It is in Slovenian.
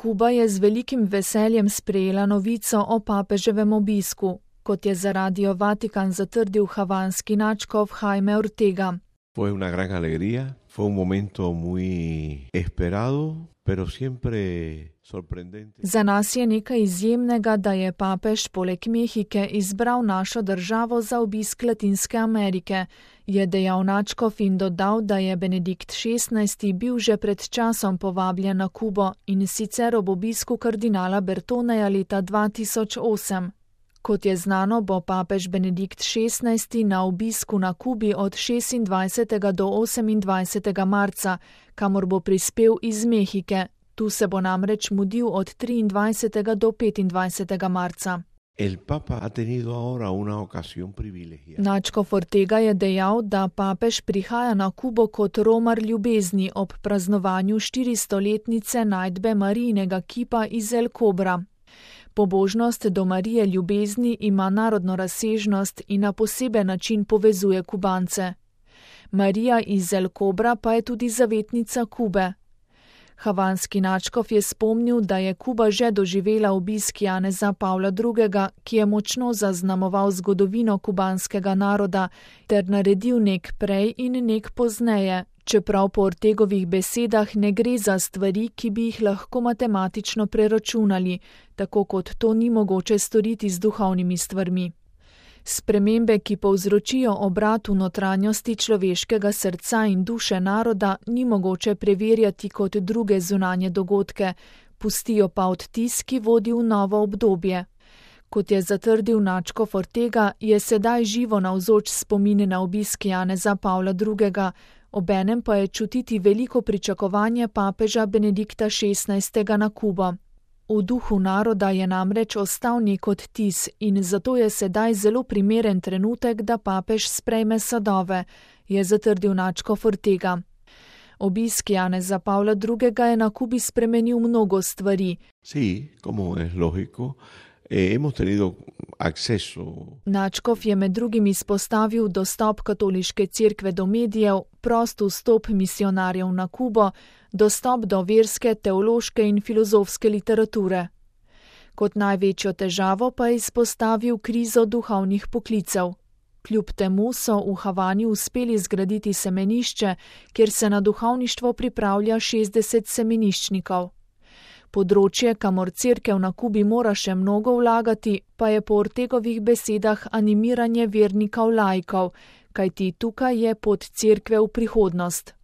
Kuba je z velikim veseljem sprejela novico o papeževem obisku, kot je za Radio Vatikan zatrdil havanski nadškof Jaime Ortega. Fue una gran alegría, fue un momento muy esperado, pero siempre sorprendente. Za nas je nekaj izjemnega, da je papež poleg Mehike izbral našo državo za obisk Latinske Amerike, je dejal nadškof in dodal, da je Benedikt XVI. Bil že pred časom povabljen na Kubo in sicer ob obisku kardinala Bertoneja leta 2008. Kot je znano, bo papež Benedikt XVI. Na obisku na Kubi od 26. do 28. marca, kamor bo prispel iz Mehike. Tu se bo namreč mudil od 23. do 25. marca. El Papa ha tenido ahora una ocasión privilegiada. Nadškof Ortega je dejal, da papež prihaja na Kubo kot romar ljubezni ob praznovanju 400-letnice najdbe Marijinega kipa iz El Cobra. Pobožnost do Marije ljubezni ima narodno razsežnost in na poseben način povezuje Kubance. Marija iz El Cobra pa je tudi zavetnica Kube. Havanski nadškof je spomnil, da je Kuba že doživela obisk Janeza Pavla II., ki je močno zaznamoval zgodovino kubanskega naroda ter naredil nek prej in nek pozneje, čeprav po Ortegovih besedah ne gre za stvari, ki bi jih lahko matematično preračunali, tako kot to ni mogoče storiti z duhovnimi stvarmi. Spremembe, ki povzročijo obrat v notranjosti človeškega srca in duše naroda, ni mogoče preverjati kot druge zunanje dogodke, pustijo pa odtis, ki vodi v novo obdobje. Kot je zatrdil nadškof Ortega, je sedaj živo navzoč spomin na obisk Janeza Pavla II., obenem pa je čutiti veliko pričakovanje papeža Benedikta XVI. Na Kubo. V duhu naroda je namreč ostal nek odtis in zato je sedaj zelo primeren trenutek, da papež sprejme sadove, je zatrdil nadškof Ortega. Obisk Janeza Pavla II. Je na Kubi spremenil mnogo stvari. Sí, como es lógico, hemos tenido acceso. Nadškof je med drugim izpostavil dostop katoliške cerkve do medijev, prost vstop misionarjev na Kubo, dostop do verske, teološke in filozofske literature. Kot največjo težavo pa je izpostavil krizo duhovnih poklicev. Kljub temu so v Havani uspeli zgraditi semenišče, kjer se na duhovništvo pripravlja 60 semeniščnikov. Področje, kamor cerkev na Kubi mora še mnogo vlagati, pa je po Ortegovih besedah animiranje vernikov laikov, kajti tukaj je pot cerkve v prihodnost.